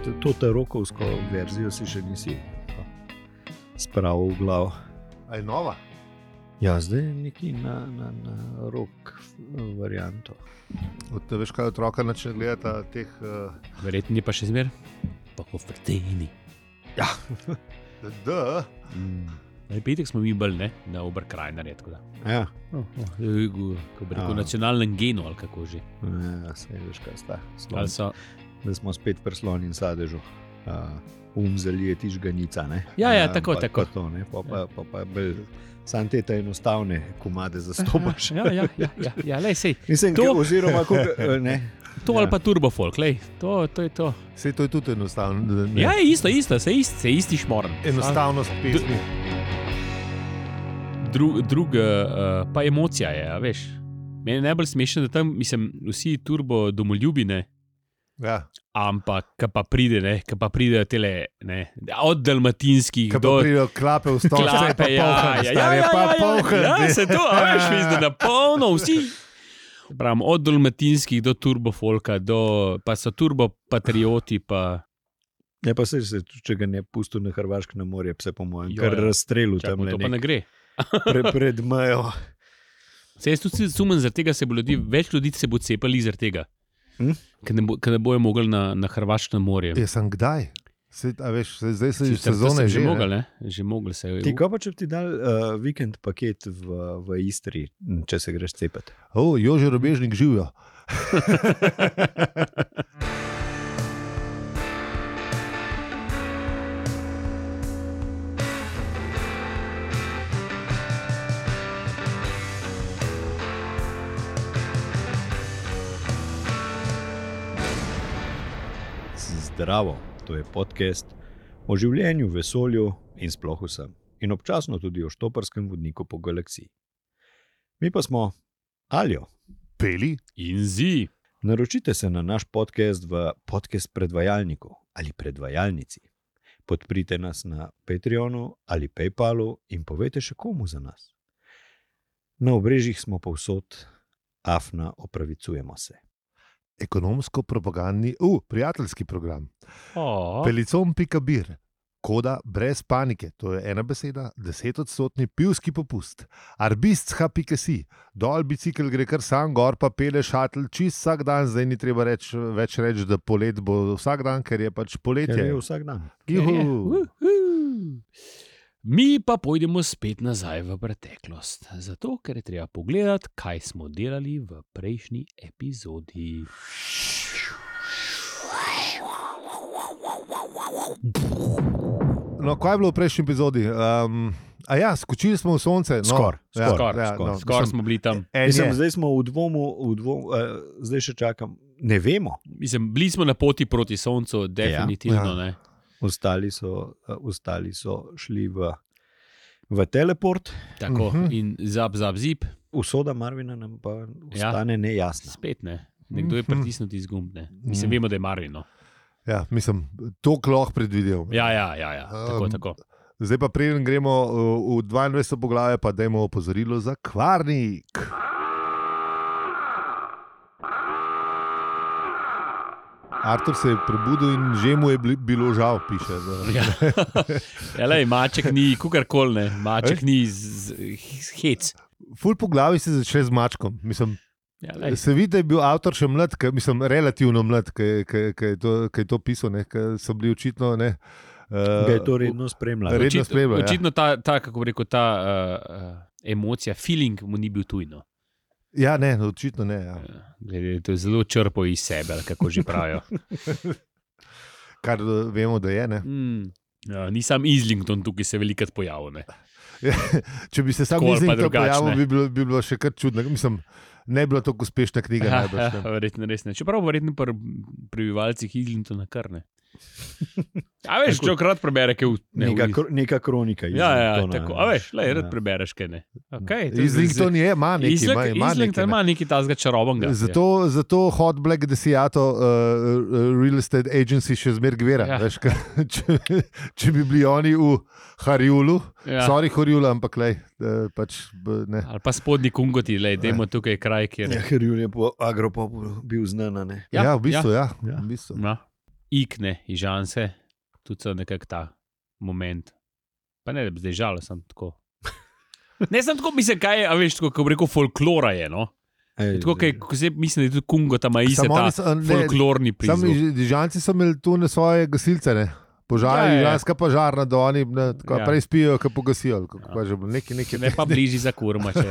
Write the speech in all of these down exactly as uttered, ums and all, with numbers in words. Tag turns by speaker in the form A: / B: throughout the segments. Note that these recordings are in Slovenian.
A: To tarokovsko verzijo si še nisi spravil v glavo.
B: A je nova?
A: Ja, zdaj je neki na, na, na rok varianto.
B: Od, veš kaj, otroka načne gledata teh... Uh...
C: Verjetno je pa še zmer. Pa Hofrteni.
A: Ja.
B: Da.
C: Mm. Petek smo mi bolj, ne? Na Oberkrajnarje, tako da.
A: Ja.
C: Oh, oh. Ko bi rekel, nacionalnem genu, ali kako že.
A: Ja, sej veš kaj sta.
C: Ali so...
A: Da smo spet pri sloni in sadežu. Uh, um zalijeti žganica, ne?
C: Ja, ja,
A: uh,
C: tako,
A: pa,
C: tako.
A: Pa to, ne? Pa pa, pa, pa bolj sam te ta enostavne komade zastopaš.
C: Ja, ja, ja, ja, ja, lej, sej.
A: Mislim,
C: to...
A: oziroma, kako, ne?
C: To
A: ja.
C: Ali pa turbofolk, lej, to, to je to.
B: Sej to je tudi enostavno. Ne?
C: Ja, isto, isto, se isti, se isti šmorn.
B: Enostavnost pesmi.
C: Dru, drug, uh, pa emocija je, a veš. Meni je najbolj smešno, da tam, mislim, vsi turbo domoljubine,
B: ja.
C: Ampak, ka pa pride, ne, ka pa pride tele, ne, od dalmatinskih
B: ka
C: do...
B: Ka pa pridejo klape v stol,
C: klape,
B: pa
C: ja,
B: polhan,
C: ja,
B: star,
C: ja,
B: je
C: ja,
B: pa
C: ja,
B: polhan.
C: Ja, se to, a veš, mislim, da polno vsi. Pravim, od dalmatinskih do turbofolka, do, pa so turbopatrioti, pa...
A: Ja, pa se, se, če ga ne pustil na Hrvaško na morje, se po mojem,
C: Jo,
A: kar
C: ja.
A: razstrelil
C: Čakaj,
A: tam le
C: to pa
A: nek,
C: ne gre.
A: pre, pred mejo.
C: Se jaz tudi sumem, zaradi tega se bo ljudi, več ljudi se bo cepali zaradi tega.
A: Hm?
C: Ker ne, bo, ne bojo mogli na, na Hrvaško na morje.
B: Ja, sem kdaj? Se, a veš, se, zdaj se
C: Sicer,
B: sezone
C: že
B: že,
C: mogli, ne? Že mogli se.
A: Ti ko pa, če bi ti dal uh, vikend paket v, v Istri, če se greš cepati?
B: O, Jože Robežnik živijo.
A: Zdravo, to je podcast o življenju, vesolju in sploh vsem. In občasno tudi o štoparskem vodniku po galaksiji. Mi pa smo Aljo.
B: Peli
C: in Zi.
A: Naročite se na naš podcast v podcast predvajalniku ali predvajalnici. Podprite nas na Patreonu ali Paypalu in povejte še komu za nas. Na obrežjih smo povsod, afna opravicujemo se.
B: Ekonomsko-propagandni, uh, prijateljski program.
C: Oh.
B: Pelicom pika bir. Koda brez panike, to je ena beseda, desetodstotni pivski popust. Arbistha pika si. Dol bicikl gre kar sam, gor pa pele šatl čist vsak dan, zdaj ni treba reč, več reči, da polet bo vsak dan, ker je pač poletje.
A: Ker je vsak dan.
B: Juhu.
C: Mi pa pojdemo spet nazaj v preteklost, zato ker je treba pogledati, kaj smo delali v prejšnji epizodi.
B: No, kaj je bilo v prejšnji epizodi? Um, a ja, skočili smo v sonce. No,
A: Skor,
B: ja,
C: skor,
B: ja,
C: skor,
B: no,
C: skor
B: mislim,
C: smo bili tam.
B: en
A: Mislim,
B: je.
A: zdaj smo v dvomu, v dvomu uh, zdaj še čakam. Ne vemo.
C: Mislim, bili smo na poti proti soncu, definitivno,
B: Ja.
C: ne.
A: Ostali so, uh, ostali so šli v, v teleport.
C: Tako,
B: Mhm.
C: in zap, zap, zip,
A: Usoda Marvina nam pa ostane nejasna.
C: spet ne. Nekdo je
B: Mhm.
C: pritisnil ti zgumb, ne. Mislim,
B: Mhm.
C: vemo, da je Marvino.
B: Ja, mislim, to lahko predvidel.
C: Ja, ja, ja, ja. tako,
B: Um,
C: tako.
B: Zdaj pa preden gremo uh, v dvaindvajseto poglavje, pa dajmo opozorilo za kvarnik. Artur se je prebudil in že mu je bili- bilo žal, piše. Da.
C: Ja. Ja, lej, maček ni kukarkoli, ne. Maček ni z, z hec.
B: Ful po glavi se začne z mačkom. Mislim,
C: Ja, lej.
B: se vidi, da je bil avtor še mlad, ka, mislim, relativno mlad, ki je to, kaj je to pisal, ker so bili očitno. Ne, uh,
A: Ga je to redno spremljalo.
B: Redno
C: Očitno,
B: spremlja, ja.
C: očitno ta, ta, kako bi rekel, ta uh, uh, emocija, feeling mu ni bil tujno.
B: Ja, ne, očitno ne. Ja.
C: Glede, to je zelo črpo iz sebe, ali kako že pravijo.
B: Kar uh, vemo, da je. Ne.
C: Mm. Ja, ni sam Islington tukaj se velikrat pojavil. Ne.
B: Če bi se sam
C: Tako ali pa
B: iznikel pojavil,
C: drugačne.
B: bi bilo, bi bilo še kar čudno. Mislim, ne bi bila tako uspešna knjiga.
C: Ja,
B: najbrž,
C: ja,
B: ne.
C: verjetno res ne. Čeprav verjetno pri prebivalcih Islingtona kar ne. A veš, če krat prebere, kaj v, ne,
A: Neka,
C: v,
A: kro- neka kronika.
C: ja, ja,
A: Islingtona,
C: tako. A veš, lej, rad
A: Ja.
C: prebereš, kaj ne. Okay, to je-
B: Islington je, ima nekaj.
C: Islington,
B: ima- ima
C: Islington
B: nekaj, ne.
C: ima nekaj tazga čarobnega.
B: Zato, zato Hot Black Desiato uh, Real Estate Agency še zmer gvera.
C: Ja.
B: Ja. Veš, ka, če, če bi bili oni v Harjulu,
C: Ja.
B: ja. sorry Harjulu, ampak lej, uh, pač, b- ne.
C: Ali pa spodnji kungoti, lej, dajmo tukaj kraj, kjer
A: Ja, ker Julij je po agropopu bil znan. Ne?
B: Ja,
C: Ja,
B: ja, v bistvu, ja.
A: ja.
B: ja. V bistvu.
C: Ja. ikne, ižanse, tudi so nekak ta moment. Pa ne, da bi zdaj žal, sem tako. Ne, sem tako, mislim, kaj je, a veš, tako, ko bi rekel, folklora je, no.
A: Ej,
C: Tako, kaj, ko se mislim, da je tudi Kungo tam ise
B: Samo
C: ta
B: oni so- ne,
C: folklorni
B: Sami
C: prizvok.
B: dižanci so imeli tu na svoje gasilce, ne? Požar,
C: Ja, ja, ja.
B: iranska požarna, da oni ne, tako,
C: Ja.
B: prej spijo, kot pogasijo. Kako
C: Ja.
B: pa že bilo, neki, neki,
C: Ne pa bližji za kurma, če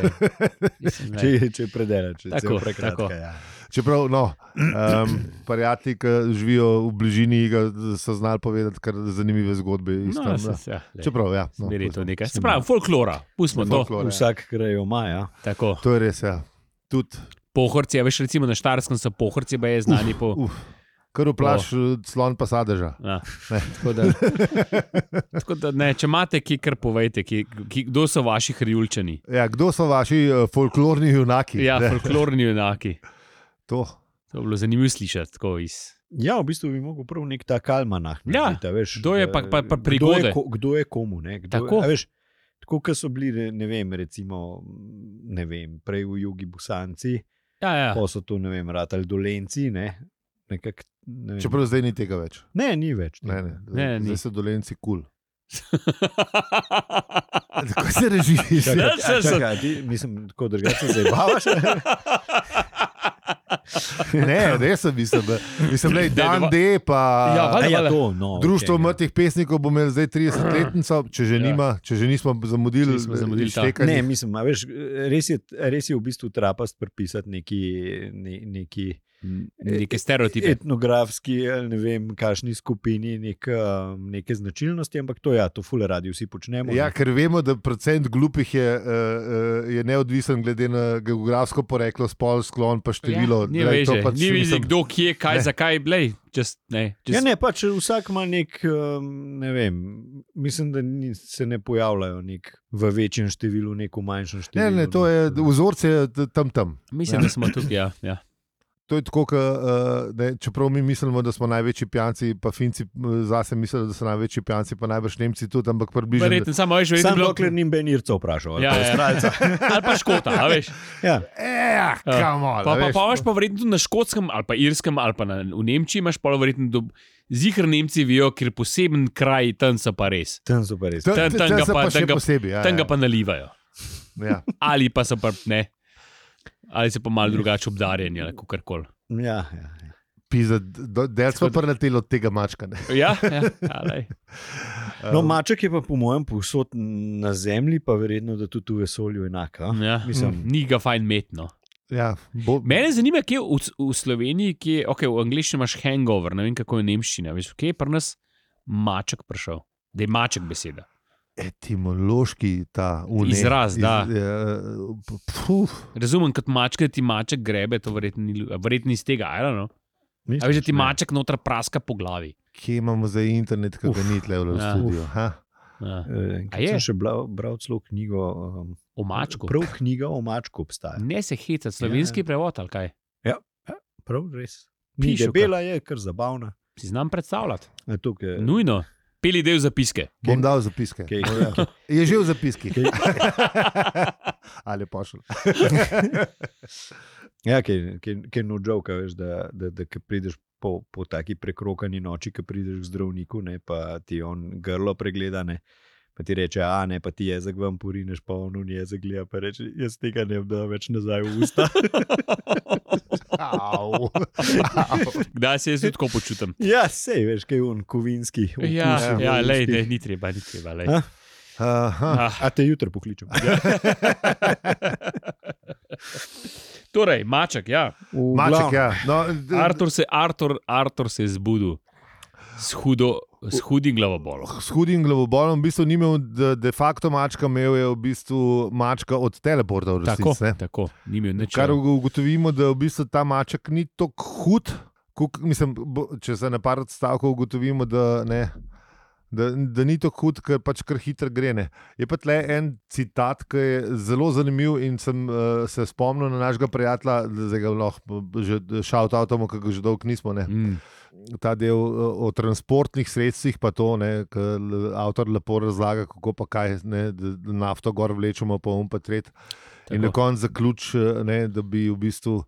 C: mislim, ne.
A: Če, če predelaš, če
C: Tako,
A: je prekratka.
C: tako.
A: Ja.
B: Čeprav, no, um, prijatelji, ki živijo v bližini, ga so znali povedati kar zanimive zgodbe. iz
C: No,
B: tam,
C: se,
B: da.
C: se, ja, lej,
B: Čeprav, ja. No,
C: zmeri to
B: pustimo.
C: nekaj. Se pravi, folklora, pustimo to.
B: Folklor, ja.
A: Vsak kraj ima, ja.
C: Tako.
B: To je res, ja. Tudi,
C: Pohorci, a veš, recimo na Štajerskem so pohorci, pa je znani po.
B: uf, kar vplaš, slon pa sadeža.
C: Ja, tako da, tako da ne, če imate, ki kar povejte, ki, ki, kdo so vaši hrjulčani.
B: Ja, kdo so vaši uh, folklorni junaki?
C: Ja,
B: Ne,
C: folklorni junaki.
B: to.
C: To je bilo zanimivo slišati. Tako iz.
A: Ja, v bistvu bi mogel prav nek tak almanah.
C: Ja,
A: narediti, a veš,
C: kdo je
A: da-
C: pa- pa- pa
A: Kdo
C: prigode.
A: je, ko, kdo je komu, ne? Kdo
C: Tako.
A: Je, a veš, tako, kot so bili, ne- ne vem, recimo, ne vem, prej v jugi Busanci,
C: Ja, ja.
A: pa so tu, ne vem, ratali dolenci, ne? Nekak, ne, vem.
B: Čeprav zdaj ni tega več.
A: ne, ni več.
B: Ne, ne,
C: Ne,
B: zdaj
C: ni.
B: so dolenci kul. Tako se režiš.
A: Čakaj,
C: Ja, se-
A: a,
C: se-
A: čakaj, ti, mislim, tako drugače se zabavaš.
B: Ne, res sem mislil, da mislim, da je dan D, pa
C: Ja,
A: A
C: valjda,
A: ja,
C: valjda.
A: to, no,
B: Društvo
A: okej, ja.
B: mrtvih pesnikov bo imelo zdaj tridesetletnico, če že
C: Ja.
B: nima, če že nismo zamudili,
C: Če nismo zamudili ta.
B: iztekanje.
A: Ne, mislim, a veš, res, je, res je v bistvu trapast prepisati neki, ne, neki
C: Neke stereotipe.
A: etnografski, ali ne vem, kakšni skupini, nek, um, neke značilnosti, ampak to, ja, to fule radi vsi počnemo.
B: Ja,
A: ne.
B: ker vemo, da procent glupih je, uh, uh, je neodvisen glede na geografsko poreklo, spol, sklon, pa število.
C: Ja, ni
B: Glej, to
C: veže,
B: pač,
C: ni veže,
B: mislim,
C: kdo, kje, kaj,
B: Ne.
C: zakaj, blej. Just, ne, just,
A: Ja, ne, pač vsak ima nek, um, ne vem, mislim, da ni, se ne pojavljajo nek v večjem številu, nek v manjšem številu.
B: Ne, ne, to je vzorce tam tam.
C: Mislim, da smo tukaj. Ja, ja.
B: To je tako, ka, uh, ne, čeprav mi mislimo, da smo največji pijanci, pa Finci uh, zase mislijo, da so največji pijanci, pa najbrž Nemci tudi, ampak približno.
C: Verjetno, samo veš, vedno
A: Sam
C: bilo.
A: dokler ni Benirca vprašal. ali
C: Ja,
A: pa
C: ja.
A: Avstralca.
C: Ali pa škota, a veš.
A: Ja.
B: Ja, come on,
C: Pa,
B: a
C: pa,
B: veš.
C: pa imaš pa verjetno tudi na škotskem, ali pa irskem, ali pa na, v Nemčiji imaš pa verjetno do. Zihr Nemci vijo, ker poseben kraj tam so pa res.
A: Tam so pa res.
B: Tam-
C: tam-
B: tam
C: tam ga
B: so
C: pa-
B: pa še
C: tam ga-
B: posebej. Ja,
C: Tam ga
B: ja.
C: pa nalivajo.
B: Ja.
C: Ali pa so pa ne. Ali so pa malo drugače obdarjeni, ali kako koli.
A: Ja, ja, ja.
B: Pizda, do- del smo preleteli od tega mačka. Ne.
C: Ja, ja, ja lej.
A: No, maček je pa po mojem povsod na zemlji, pa verjetno, da tudi v vesolju enaka.
C: ja.
A: Mislim,
C: Ni ga fajn metno.
B: Ja, bo,
C: Mene zanima, kje v, v Sloveniji, kje, okay, v angliščini imaš hangover, ne vem kako je nemščina. Veš, kje je pri nas maček prišel? Da je maček beseda.
B: etimološki ta unik.
C: Izraz, da.
B: Puf,
C: Razumem, kot mačka, da ti maček grebe, to verjetno ni, verjetno iz tega, ali no? A veš, da ti
A: ne.
C: maček noter praska po glavi.
B: kje imamo zdaj internet, ki ga
A: Uf.
B: ni tle v
C: Ja.
B: studiu? Ha?
C: Ja.
A: Eh,
C: A
A: Ker
C: je?
A: sem še bral, bral celo knjigo. Um,
C: O mačku.
A: Prav knjiga o mačku obstaja.
C: Ne se hecati, slovenski
A: Ja.
C: prevod ali kaj.
A: Prav res. Ni
C: Pišo,
A: debela, je kar zabavna.
C: Si znam predstavljati.
A: E, tukaj,
C: Nujno. Peli del zapiske.
B: Bom dal zapiske.
A: Kaj-
B: Ja. Je že v zapiskih.
A: Kaj-
B: Ali pošel.
A: Ja, ker no joke, veš, da, da, da ko prideš po, po taki prekrokani noči, ko prideš k zdravniku, ne, pa ti on grlo pregleda, ne, pa ti reče, a ne, pa ti jezik vam porineš, pa on un jezik gleda, pa reče, jaz tega ne vem, več nazaj v usta.
B: Au. Au.
C: Kdaj se jaz tudi tako počutim?
A: Ja, sej, veš, kaj je on kovinski. okus
C: Ja,
A: v
C: ja lej,
A: ustih.
C: ne, ni treba, ni treba. Lej.
A: A?
B: Aha.
C: Ah.
A: A te jutro pokličem.
C: Torej, maček, ja.
A: V
B: Maček,
A: glavnem,
B: ja. No, d-
C: Artur se, Artur, Artur se je zbudil s, hudo, s hudim glavobolom.
B: S hudim glavobolom, v bistvu ni imel de, de facto mačka, imel je v bistvu mačka od teleporta v
C: Tako,
B: resnici. ne.
C: tako, ni imel nič.
B: Kar ug- ugotovimo, da v bistvu ta maček ni tako hud, kuk, mislim, bo, če se na par odstavkov ugotovimo, da, ne, da, da ni tako hud, ker pač kar hitro gre. Ne. Je pa tle en citat, ki je zelo zanimiv in sem uh, se spomnil na našega prijatelja, da zdaj ga lahko že šaut avtomo, ki ga že dolgo nismo. Ne.
C: Mm.
B: Ta del uh, o transportnih sredstvih, pa to, ki avtor lepo razlaga, kako pa kaj, ne, da, da nafto gor vlečemo, pa um pa tret. In na
C: Tako.
B: koncu zaključ, ne, da bi v bistvu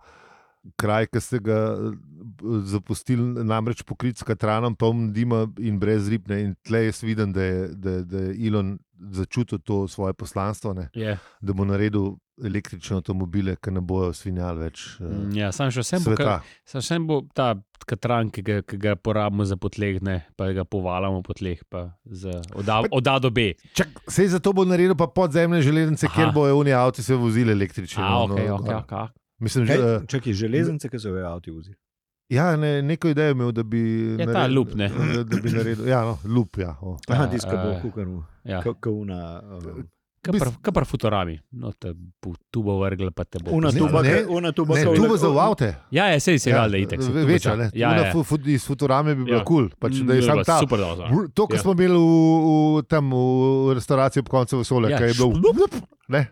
B: kraj, ki ste ga zapustili namreč pokrit s katranom, poln dima in brez ribne. In tle jaz vidim, da je, da, da je Elon začutil to svoje poslanstvo, ne?
C: Yeah.
B: Da bo naredil električne avtomobile, ki ne bojo svinjali več uh,
C: Ja, sam še vsem bo,
B: sveta.
C: ka, sam še bo ta katran, ki ga, ki ga porabimo za potleh, ne, pa ga povalamo po tleh, pa za od A, od A do B.
B: Čak, sej zato bo naredil pa podzemne železnice,
C: Aha.
B: kjer bojo oni avti se vozili električni.
C: A,
B: no,
C: ok,
B: no,
C: ok,
B: no.
C: ok.
B: Mislim,
A: Kaj,
B: že,
A: čakaj, železnice, ki so v avtu vozili.
B: ja, ne, neko idejo imel, da bi
C: Je ta lup, ne?
B: Da, da bi naredil, ja, no, lup, ja. Oh.
A: Aha,
C: Ja,
A: tiska bo
C: eh,
A: kukarno,
C: Ja.
A: kauna. Um,
C: Kaj pa Futurami? No, te bo tubo vrgla, pa te bo.
A: Una
B: Ne,
A: tuba,
B: ne,
A: ka- una tuba,
B: Ne,
A: ka-
B: tu bo za v avte.
C: Ja, je, sej se
B: Ja,
C: valjda itek. saj tubo
B: večja,
C: ča-
B: ne.
C: Ja,
B: Tuna
C: ja.
B: fu- fu- iz Futurame bi bila
C: Ja.
B: kul, cool, pač, da je
C: Mm,
B: sam
C: bilo
B: ta.
C: super dobro.
B: Vr- To, kar
C: Ja.
B: smo imeli v, v, tam v restavraciji ob koncu vesolja,
C: Ja,
B: ja, je bilo
C: šlup.
B: ne.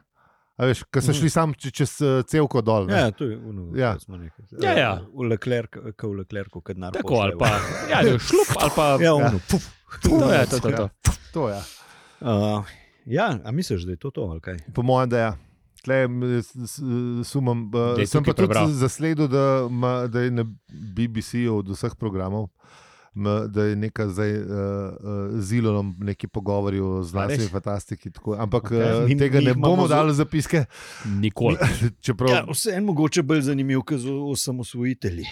B: A veš, ko so šli sam če- čez eh, cevko dol. Ne?
A: Ja, to je ono,
B: Ja.
A: kar smo rekli.
C: Ja, ja.
A: V Leclerc, ka v Leclercu, kad nar
C: Tako ali pa. Ja, ne, šlup ali pa.
A: Ja, ono, puf.
C: To je to, to, to.
B: To, ja.
A: Uh, ja, a misliš, da je to to, ali kaj?
B: Po mojem, da je. Tle m, s- s- sumam, uh,
C: Da je
B: sem pa
C: tukaj
B: tudi
C: prebral.
B: zasledil, da, ma, da je na B B C-ju od vseh programov, ma, da je neka zdaj uh, uh, z Elonom neki pogovori o znanstveni
C: res?
B: fantastiki. Tako. Ampak
C: Okej.
B: okay. uh,
A: Mi-
B: tega
A: mi
B: ne
A: jih imamo
B: bomo
A: zelo-
B: dali v zapiske.
C: Nikoli.
B: Čeprav,
A: Ja, vse en mogoče bolj zanimiv, kot osamosvojitelji.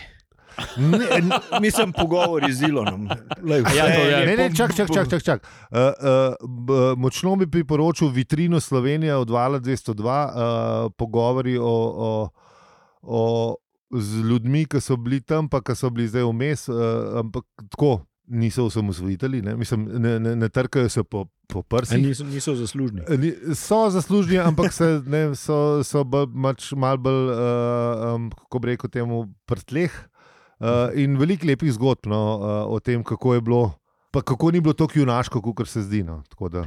B: ne, ne,
A: Mislim, pogovori z Elonom. Lej,
C: Ja, to je-
B: Ne, ne, čak, čak, čak, čak, čak. Uh, uh, b- močno bi priporočil vitrino Slovenija od Vala dvesto dva, uh, pogovori o, o, o, z ljudmi, ki so bili tam, pa ki so bili zdaj vmes, uh, ampak tako niso osamosvojitelji, ne, mislim, ne, ne, ne trkajo se po, po
A: A
B: prsih.
A: niso, niso zaslužni.
B: Ni- So zaslužni, ampak se, ne, so, so bolj, mač, mal bolj, uh, um, kako bi rekel, temu prtleh. Uh, in veliko lepih zgodb no, uh, o tem, kako je bilo, pa kako ni bilo tako junaško, kot se zdi. No. Tako da,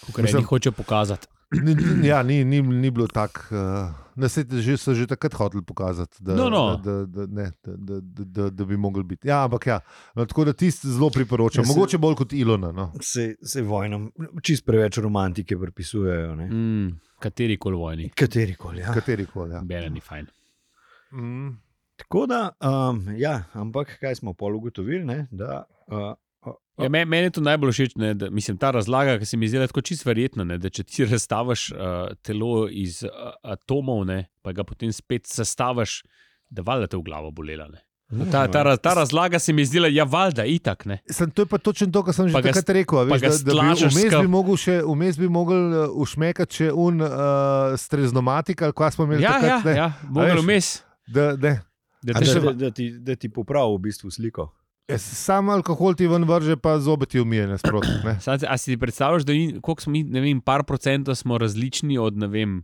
C: Kar
B: Mislim-
C: eni hoče pokazati.
B: ni, ni- ja, ni, ni, ni bilo tako. Uh, da se že, so že takrat hoteli pokazati, da,
C: No, no.
B: da, da, da, ne, da, da, da, da, da bi mogli biti. Ja, ampak ja, no, tako da tisti zelo priporočam.
A: Ja, se-
B: Mogoče bolj kot Ilona. No.
A: Se, se vojnam čist preveč romantike pripisujejo. Ne?
C: Mm, kateri koli vojni.
A: Katerikoli. Ja.
B: Katerikoli. Ja.
C: Bene ni fajn.
B: Mm.
A: Tako da, um, ja, ampak kaj smo pol ugotovili, ne, da uh,
C: Ja, me- Meni je to najbolj všeč, ne, da, mislim, ta razlaga, ki se mi zdi tako čisto verjetna, ne, da če ti razstaviš uh, telo iz uh, atomov, ne, pa ga potem spet sestaviš, da valjda te v glavo bolela. Ne. Ta, ta, raz- ta razlaga se mi zdi, ja, valjda, itak. Ne.
B: Sem, to je pa točno to, kar sem že
C: Pa ga
B: takrat rekel. a
C: pa
B: Veš,
C: ga
B: da, da bi
C: stlačeš
B: vmes
C: ska-
B: bi mogel še vmes bi mogel uh, ušmekati še un uh, streznomatik, ali kaj smo imeli
C: Ja, ja,
B: takrat. ne.
C: ja, mogel
B: veš,
C: vmes.
B: Da, da.
C: Da
A: da,
C: te še
A: da, da, ti, da ti popravi v bistvu sliko.
B: Jaz Sam alkohol ti ven vrže, pa zobet ti umije nasprotno. ne.
C: Sad, a si ti predstavljaš, da mi, koliko smo mi, ne vem, par procentov smo različni od, ne vem,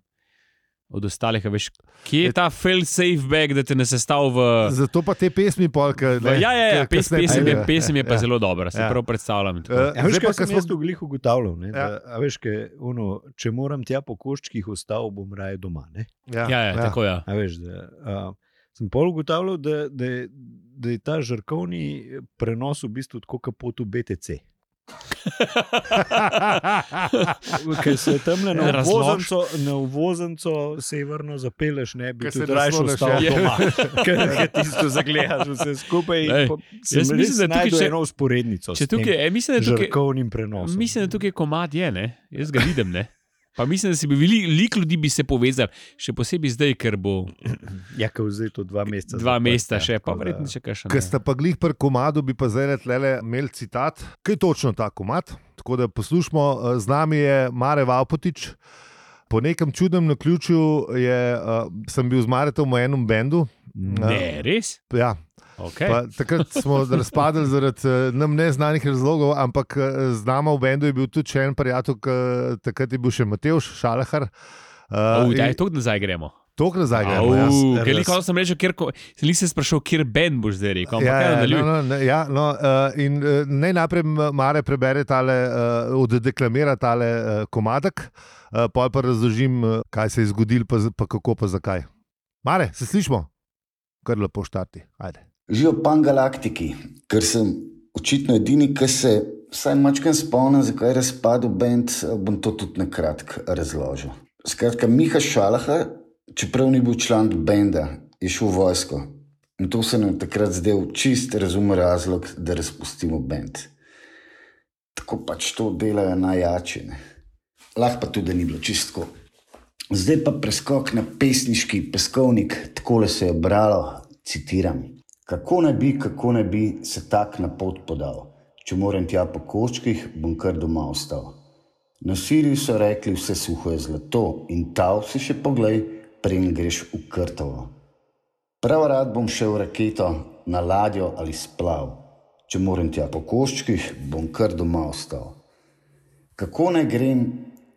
C: od ostalih, a veš, kje je ta fail-safe bag, da te ne sestav v...
B: Zato pa te pesmi polka.
C: v ja, ja, ja, pes, pesem, je, pesem je pa
B: ja.
C: zelo dobra, se
B: Ja.
C: prav predstavljam.
B: Eh,
A: Ja, veš,
B: zdaj pa,
A: kaj
B: ko
A: sem
B: smo-
A: jaz tu glih ugotavljal? Ne,
B: Ja.
A: da, a veš, kaj, ono, če moram tja po koščkih ostal, bom raje doma. Ne?
B: Ja,
C: Ja, ja, tako ja.
A: A veš, da, uh, sem pol ugotavljal, da, da, je- da je ta žarkovni prenos v bistvu tako kot pot v B T C. Ker se tam na
C: Ja, razlož.
A: uvoznico, na uvoznico severno zapeleš, ne bi
B: Ker se
A: tudi raje
B: nasloneš,
A: ostal
C: ja.
A: doma. Ker ker tisto zagledaš vse skupaj. in
C: Ej,
A: po- sem
C: jaz
A: res
C: mislim, da tukaj
A: našel
C: če-
A: eno usporednico
C: Če
A: s tem
C: tukaj, e, mislim, da tukaj,
A: žarkovnim prenosom.
C: mislim, da tukaj komad je, ne? Jaz ga vidim, ne? Pa mislim, da si bi veliko lik ljudi bi se povezali, še posebej zdaj, ker bo
A: Ja, ker zdaj to dva meseca.
C: dva
A: zaprt,
C: meseca
A: ja,
C: še, pa
A: tako da-
C: verjetno še kaj še.
B: Ker sta pa glih pri komadu, bi pa zdaj tlele imeli citat. Kaj je točno ta komad? Tako da poslušamo, eh, z nami je Mare Vavpotič. Po nekem čudnem naključju je, uh, sem bil z Maretom v enem bendu.
C: Ne, res?
B: Ja,
C: Okay.
B: pa, takrat smo razpadli zaradi uh, nam neznanih razlogov, ampak uh, z nama v bendu je bil tudi še en prijatelj, ki takrat je bil še Matevž Šalahar.
C: Uh,
B: Uh,
C: Daj, to nazaj gremo.
B: Tok nazaj gremo. Ja.
C: Ker
A: raz-
C: nikoli sem rekel, kjer, ko- sem se sprašal, kjer band boš zdaj rekel. Ampak
B: Ja,
C: ja,
B: ja,
C: nadaljuj.
B: no, no, ja, no, uh, in uh, naj najprej Mare prebere tale, uh, oddeklamira tale uh, komadek, uh, pa pa razložim, uh, kaj se je zgodilo, pa, z- pa kako, pa zakaj. Mare, se slišmo? Kar lepo štarti. Ajde.
D: Živijo pangalaktiki, ker sem očitno edini, ki se vsaj mačkam spomnim, zakaj je razpadel bend, bom to tudi na kratko razložil. Skratka, Miha Šalahar, čeprav ni bil član benda, je šel v vojsko In to se nam takrat zdel čist razumen razlog, da razpustimo bend. Tako pač to delajo najjači. Ne? Lahko pa tudi, da ni bilo čistko. Zdaj pa preskok na pesniški peskovnik, takole se je bralo, citiram. Kako ne bi, kako ne bi se tak na pot podal? Če moram tja po koščkih, bom kar doma ostal. Na Siriju so rekli, vse suho je zlato in tav si še poglej, preden greš v Krtovo. Prav rad bom šel v raketo, na ladjo ali splav. Če moram tja po koščkih, bom kar doma ostal. Kako ne grem,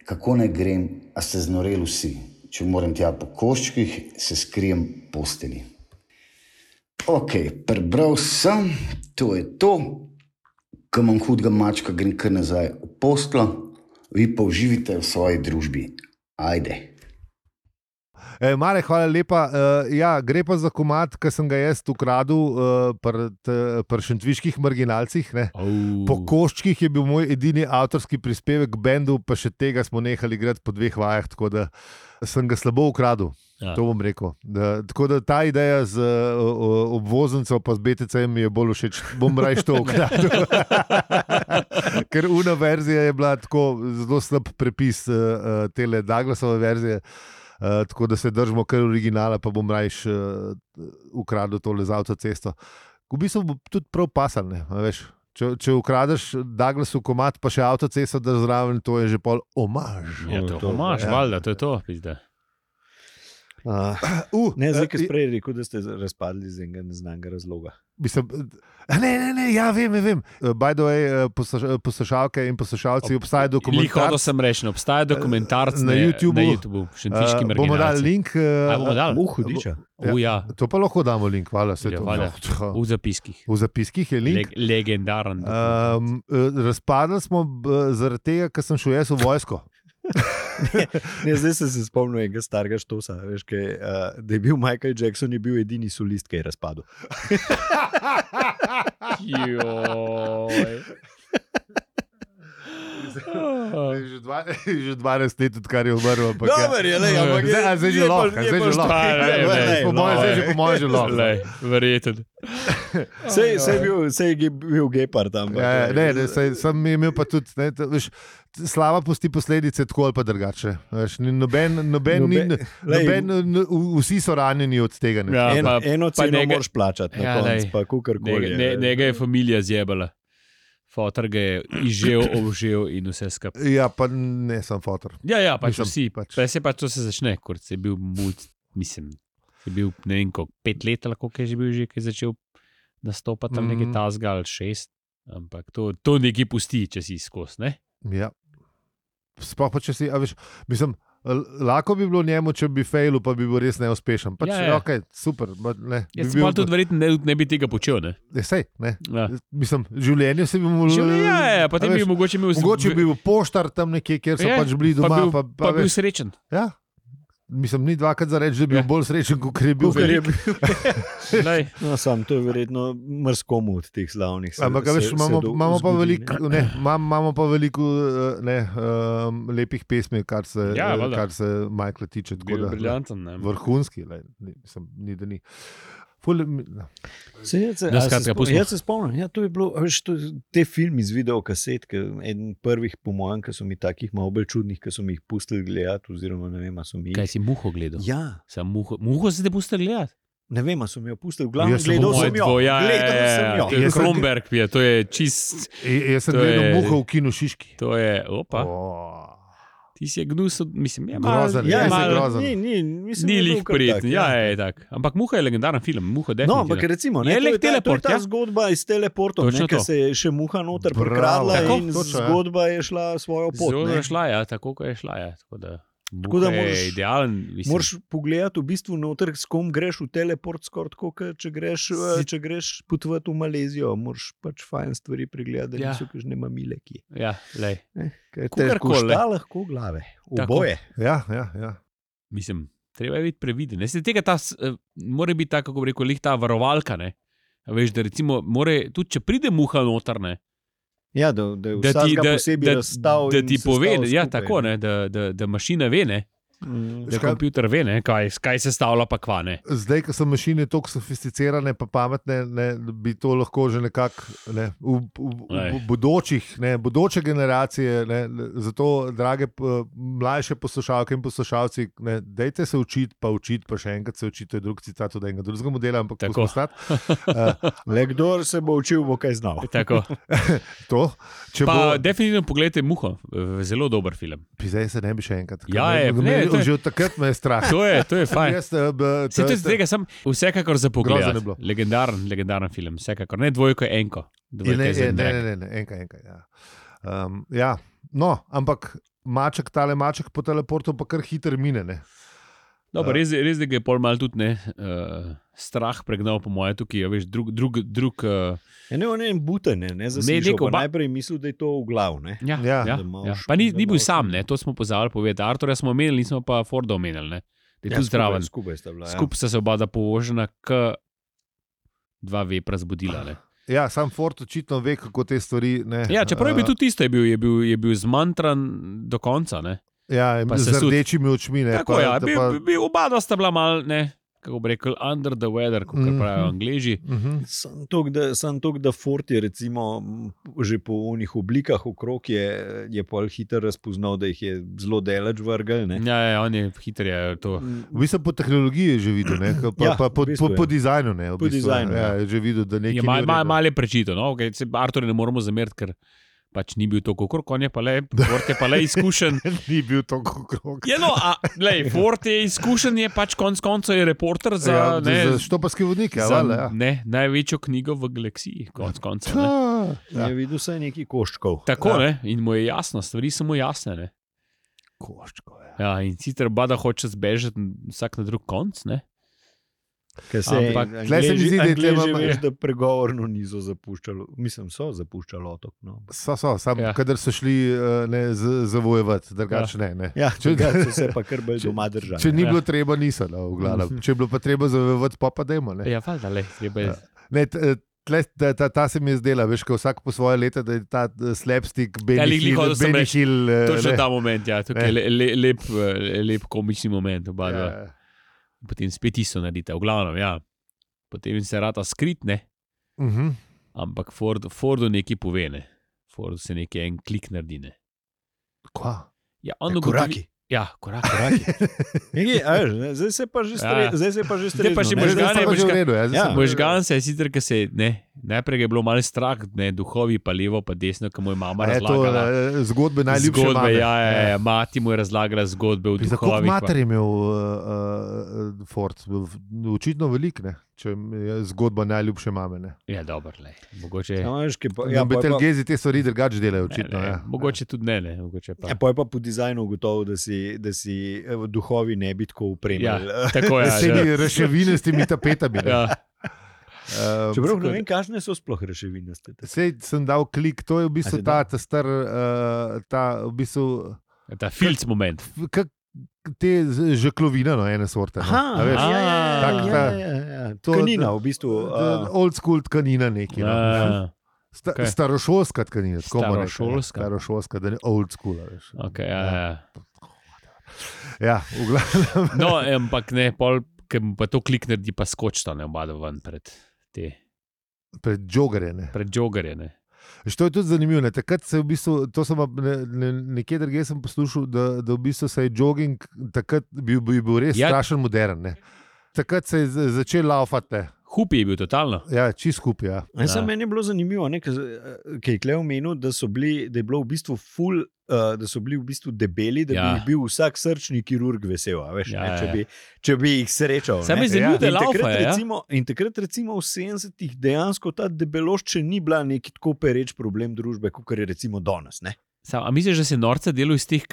D: kako ne grem, a ste znoreli vsi. Če moram tja po koščkih, se skrijem posteli. Ok, prebral sem, to je to. Ko imam hudega mačka, grem kar nazaj v postlo, vi pa uživite v svoji družbi. Ajde.
B: E, Marek, hvala lepa. E, ja, gre pa za komad, ki sem ga jaz ukradel e, pri šentviških marginalcih.
C: Oh.
B: Po koščkih je bil moj edini avtorski prispevek k bendu, pa še tega smo nehali igrati po dveh vajah, tako da sem ga slabo ukradel. Ja. To bom rekel. Da, tako da ta ideja z uh, obvoznico pa z B T C-jem mi je bolj všeč. Bom raje to ukradel. Ker una verzija je bila tako zelo slab prepis uh, tele Douglasove verzije, uh, tako da se držimo kar originala, pa bom raje uh, ukradel tole z avtocesto. V bistvu bo tudi prav pasal, ne, veš. Če, če ukradeš Douglasov komad, pa še avtocesto, da zraven, to je že pol omaž.
C: Ja, to je omaž, ja. Valjda, to je to, pizda.
A: Uh, uh, ne, zdaj, ki sprej rekel, da ste razpadli z enega neznanega razloga.
B: Mislim, ne, ne, ne, ja, vem, vem. By the way, poslušalke in poslušalci, obstaja dokumentarc.
C: Lihodo sem rečen, obstaja dokumentarc
B: na YouTubeu.
C: Na YouTubeu, šentviški marginalci.
B: Bomo dali link.
C: A, bomo dali?
A: Uh, hudiča.
C: Ja, uh, ja.
B: To pa lahko damo link, hvala.
C: Ja, hvala. V zapiskih.
B: V zapiskih je link.
C: Le, legendaren.
B: Um, razpadli smo zaradi tega, ker sem šel jaz v vojsko.
A: ne, ne, zdaj sem se spomnil enega starega štosa, veš, kaj, uh, da je bil Michael Jackson, je bil edini solist, ki je razpadel.
B: Že, dva, že dvanajst let, odkar je umrl.
A: Dobar je, lej, ampak je,
B: zdaj, zdaj že lahko. Zdaj že lahko. Po mojem, zdaj že po mojem že lahko.
C: Verjeten.
A: Sej, sej bil, sej je bil gepard tam.
B: Ja, ne, ne, sej, sem imel pa tudi, ne, veš, slava pusti posledice tako ali pa drugače. Veš, noben, noben, noben, noben, noben, vsi so ranjeni od tega.
C: Ja,
A: en,
C: pa,
A: eno ceno
C: njega,
A: moraš plačati, na ja, konc, pa kukarkoli.
C: Njega, ne, njega je familija zjebala. Fotor ga je izžel, obžel in vse skupaj.
B: Ja, pa ne sem fotor.
C: Ja, ja, pač
B: Mislim,
C: vsi.
B: pač.
C: Pač se pač to se začne, kot se je bil mulj, mislim, je bil ne vem koliko, pet let ali koliko je že bil že, ki je začel nastopati tam mm. nekaj tasga ali šest, ampak to, to nekaj pusti, če si skozi, ne?
B: Ja. Sploh pa če si, a veš, mislim, lahko bi bilo njemu, če bi failu, pa bi bil res neuspešen. Pač,
C: ja, ja.
B: Ok, super. Ne,
C: Jaz
B: bi
C: pa tudi verjetno ne, ne bi tega počel, ne?
B: Ne, sej, ne.
C: Ja.
B: Mislim, življenje se bi mu...
C: Življenje, ja, ja, potem
B: veš,
C: bi mogoče imel...
B: Mogoče bi bil poštar tam nekje, kjer so
C: je,
B: pač bili doma.
C: Pa bil,
B: pa, pa,
C: pa bil srečen.
B: Ja. Mislim, ni dvakrat za reči, da bi bil
C: Ja.
B: bolj srečen, kot je bil.
A: Kukar je bil.
C: Lej,
A: No, sam, to je verjetno mrskomu od teh slavnih. Se,
B: Ampak, a veš,
A: se-
B: imamo,
A: se do-
B: imamo, pa
A: zgodi,
B: veliko, ne, imam- imamo pa veliko eh, ne, um, lepih pesmi, kar se,
C: Ja,
B: eh,
C: valjda.
B: kar se Michaela tiče. tako
C: bil
B: da,
C: briljanten, ne?
B: Vrhunski, lej, ni, mislim, ni da ni. Ful, mi- no.
A: Se, jaz, se,
C: No,
A: a se
C: skratka,
A: spom-
C: pustimo.
A: jaz se spomnim, ja, to je bilo, a veš, to, te filmi z videokaset, ki, eden prvih, po mojem, ki so mi takih malo bolj čudnih, ki so mi jih pustili gledati, oziroma ne vem, a so mi
C: Kaj
A: jih.
C: si muho gledal?
A: Ja,
C: Sam muho, muho si te pusti gledati?
A: ne vem, a so mi jo pustili, v glavnem
B: Jaz sem
A: gledal
B: moj
A: sem jo.
C: Dvo- ja,
A: Gledal
C: ja,
A: sem
C: ja,
A: jo.
C: to je
B: Jaz sem-
C: Kronberg, je, to je čist,
B: E, jaz sem
C: To
B: gledal
C: je-
B: muho v kinu Šiški.
C: to je, opa,
B: Oh.
C: ti si je gnus, mislim, je malo,
B: Grozen,
A: Ja,
B: je
C: malo-
B: grozen.
A: ni, ni, mislim,
C: Ni
A: da je
C: lih
A: bil kar
C: prijeten,
A: tak,
C: ja, je tak. Ampak Muha je legendaren film, Muha
A: No,
C: definitivno.
A: ampak recimo, ne,
C: Je
A: to
C: lek
A: je ta, to je
C: teleport,
A: ta
C: ja.
A: zgodba iz teleportov,
C: Točno
A: ne, ker
C: to.
A: se je še muha noter
B: Bravo.
A: prekradla
B: Tako,
A: in
B: točno, ja.
A: zgodba je šla svojo pot.
C: Zelo
A: ne.
C: je šla, ja, tako kot je šla, ja. Tako da,
A: Tako da
C: Muha je
A: moraš-
C: idealen, mislim.
A: Moraš pogledati v bistvu noter, s kom greš v teleport, skoraj tako, kot če greš,
C: Si-
A: če greš potovati v Malezijo, moraš pač fajn stvari pregledati, da
C: Ja.
A: niso kakšne mamile, ki
C: Ja, lej.
A: je.
C: Kakorkoli,
A: Težko lahko glave,
C: Tako.
A: oboje.
B: Ja, ja, ja.
C: Mislim, treba je biti previden. Ne, se tega ta, s- eh, mora biti tako, kako bi rekel, lih ta varovalka, ne. A veš, da recimo, more, tudi če pride muha noter, ne,
A: Ja, da, da je
C: da ti,
A: vsakega
C: da,
A: posebej
C: da,
A: razstav
C: da
A: in
C: ti
A: sestavil
C: pove, ja,
A: skupaj,
C: tako, ne, da, da, da mašina ve, ne,
A: Mm.
C: Da kompjuter ve, ne, kaj, kaj se stavlja, pa kva ne.
B: Zdaj, ko so mašine tako sofisticirane, pa pametne, ne, bi to lahko že nekako ne, v, v, v bodočih, ne, bodoče generacije. Ne, zato, drage mlajše poslušalke in poslušalci, ne, dejte se učiti, pa učiti, pa še enkrat se učiti. To je drug citat od enega drugega modela, ampak tako stati. Uh,
A: Le kdor se bo učil, bo kaj znal.
C: Tako.
B: to, če
C: pa
B: bo,
C: definitivno pogledajte Muho, zelo dober film.
B: Zdaj se ne bi še enkrat.
C: Ja, je,
B: me,
C: ne,
B: me,
C: to je-
B: že od takrat me je strah.
C: To je, to je fajn.
B: Jaz, uh, b,
C: Se to je tega, sem vsekakor za
B: Grozno
C: pogled.
B: je bilo.
C: Legendaren, legendaren film, vsekakor. Ne dvojko, enko.
B: Je,
C: Dvojka
B: ne,
C: je
B: je,
C: za
B: ne,
C: drag.
B: ne, ne, ne, enka, enka. Ja. Um, ja. No, ampak maček, tale maček po teleportu pa kar hiter mine. Ne?
C: Dobro, res, je- res, da ga je pol mal tudi ne, uh, strah pregnal, po moje, tukaj je veš, drug. drug, drug uh,
A: Ja, ne, on je buten, ne, ne zaslišal,
C: neko
A: pa
C: ba-
A: najprej mislil, da je to v glav. Ne.
C: ja,
B: Ja.
C: ja,
A: Da malo
C: ja.
A: š-
C: Pa ni,
A: da
C: ni bil
A: malo
C: sam,
A: š-
C: ne, to smo pozabili povedati. Arturja smo omenili, nismo pa Forda omenili. Ne. Da je
A: Ja,
C: tudi zdraven.
A: Skupaj sta bila. Ja.
C: Skupaj sta se oba povožena, k dva vepra zbudila. Ne.
B: Ja, sam Ford očitno ve, kako te stvari. Ne,
C: Ja, čeprav je bil
B: uh,
C: tudi isto, je bil, je bil, je bil zmantran do konca. Ne.
B: ja,
C: pa
B: z
C: se sud-
B: rdečimi očmi. Ne,
C: Tako je, ja,
B: da
C: bil,
B: pa,
C: bil, bil, oba dva sta bila mal, ne, kako bi rekel, under the weather, kot
B: Mhm.
C: pravijo Angleži.
B: uh-huh.
A: Sam to, da, sam to, da Ford je recimo, m, že po unih oblikah okrog je, je pol hiter razpoznal, da jih je zelo daleč vrgel. Ne.
C: Ja, ja, on je hitreje to.
B: V bistvu po tehnologiji je že videl, ne, pa,
A: Ja,
B: pa po,
A: v bistvu
B: po,
A: je.
B: po dizajnu. Ne, v
A: Po
B: bistvu,
A: dizajnu,
B: ja,
A: ja.
B: je že videl, da nekaj
C: Je mal,
B: ni v
C: mal,
B: redu.
C: mal je prečito, no? Okay, se Artur ne moremo zameriti, ker pač ni bil tako okrog, on je pa le, Ford je pa le izkušen.
B: Ni bil tako krog.
C: Je, no, a, lej, Ford je izkušen, je pač konc koncev je reporter za,
B: Ja,
C: ne,
B: za štoparski vodnik. Ja,
C: za
B: vale, ja.
C: ne, največjo knjigo v galaksiji, konc koncev. Ne.
B: Ja.
A: Je videl vsaj nekaj koščkov.
C: Tako,
B: Ja.
C: ne, in mu je jasno, stvari so mu jasne. Ne.
B: Koščko, ja.
C: Ja, in sicer bada hoče zbežati vsak na drug konc, ne.
A: Ker se
C: Ampak
B: tle se mi zdi, da je tle
A: Angleži,
B: malo-
A: veš, da pregovorno niso zapuščali, mislim, so zapuščali otok. No.
B: So, so, sam,
C: Ja.
B: ja. kadar so šli uh, ne, z- zavojevati, drugače ne. ne.
A: Ja,
B: Če-
A: če so se pa kar bolj doma držali.
B: Če ni
C: Ja.
B: bilo treba, niso. No, v glavnem. Če je bilo pa treba zavojevati, pa pa dajmo. Ne.
C: Ja, valjda, le, treba je.
B: Ja. Ne, t- eh, tle, ta, ta, ta se mi je zdela, veš, ko vsak po svoje leta, da je ta eh, slapstick,
C: Ja,
B: Benny
C: glih, glih,
B: Hill,
C: hotel sem
B: Benny
C: reči.
B: Hill. eh,
C: Točno
B: ne.
C: ta moment, ja, tukaj je le, le, lep, eh, lep komični moment, oba dva.
B: Ja.
C: Potem spet isto naredite, v glavnem, ja. Potem se rata skritne,
B: Mhm.
C: ampak Ford, Fordu nekaj pove, ne. Fordu se nekaj en klik naredi, ne.
B: Kva?
C: Ja, on
A: Ja,
C: ugotovi-
A: koraki.
C: Ja, korak.
A: Nekaj, a veš, ne, zdaj se pa že
C: Ja.
A: stre, zdaj se pa že
C: Zdaj pa
A: strezno,
C: že
A: ne.
B: Ne,
C: možgane,
B: zdaj sta pa že v
C: možga-
B: redu, ja, zdaj
A: Ja.
B: sem pa-
C: Možgan se je sicer, ker se je, ne, najprej je bilo malo strah, ne, duhovi pa levo, pa desno, ko mu je mama
B: A je to
C: razlagala.
B: eh, zgodbe najljubše
C: Zgodbe,
B: mame.
C: ja, ja, ja, mati mu je razlagala zgodbe v
B: Za koliko
C: duhovih. pa-
B: mater je imel uh, uh, Ford? V- Očitno velik, ne? Če je zgodba najljubše mame. Ne?
C: Ja, dobro, le. Mogoče,
A: Ja, veš, kaj pa-
B: Ja,
A: ja, pol je pa-
B: Betelgezi te stvari drugače delajo,
C: ne,
B: očitno.
C: ne,
B: Ja.
C: mogoče tudi ne, ne, mogoče pa.
A: Ja, pol je pa po dizajnu ugotovil, da si, da si eh, duhovi ne bi tako upremljali.
C: Ja, tako je.
B: S
C: Ja,
B: temi reševine, s temi tapetami. ne.
C: ja.
B: Um,
A: Čeprav ne vem, kakšne so sploh reševinaste.
B: Sej sem dal klik, to je v bistvu
A: A si
B: ta,
A: dal?
B: ta star, uh, ta v bistvu,
C: Ta filc moment.
B: kak, te z- žeklovine, no, ene sorte. No. A veš,
A: ja, ja,
B: tak
A: ja,
B: ta-
A: ja, ja, ja.
B: to-
A: Tkanina, v bistvu.
B: uh,
A: Uh,
B: old school tkanina neki. No.
C: Ja,
B: Sta,
C: okej.
B: Starošolska tkanina, tako bomo rekli.
C: Starošolska.
B: Starošolska, da ne old school. Veš.
C: okay, ja, ja.
B: Ja, v glavnem.
C: No, ampak ne, pol, ker mu pa to klik naredi, pa skočta ne oba dva ven pred te,
B: Pred jogerje. Ne.
C: pred jogerje. Ne.
B: Veš, to je tudi zanimivo. Ne. Takrat se je v bistvu, to sem pa ne, ne, nekje drugje sem poslušal, da, da v bistvu se je jogging takrat bil, bil, bil res
C: Ja.
B: ja. strašen modern. Ne. Takrat se je z- začel laufati.
C: Hupi je bil totalno.
B: Ja, čist skupaj. Ja.
A: Ja.
C: Ja.
A: Meni je bilo zanimivo, ne, ker je Kleo omenil, da, so bili, da je bilo v bistvu ful, uh, da so bili v bistvu debeli, da
C: Ja.
A: ja. bi bil vsak srčni kirurg vesel. a Veš,
C: Ja,
A: ja, ne,
C: ja,
A: če,
C: ja.
A: bi, če bi jih srečal.
C: Sam
A: ne.
C: je zanimivo,
B: Ja.
C: da je
A: In takrat,
C: laufa. Ja?
A: recimo, in takrat, recimo, v sedemdesetih dejansko ta debelost še ni bila neki tako pereč problem družbe, kot je recimo danes. Ne?
C: Sam, a misliš, da se norca delo iz teh,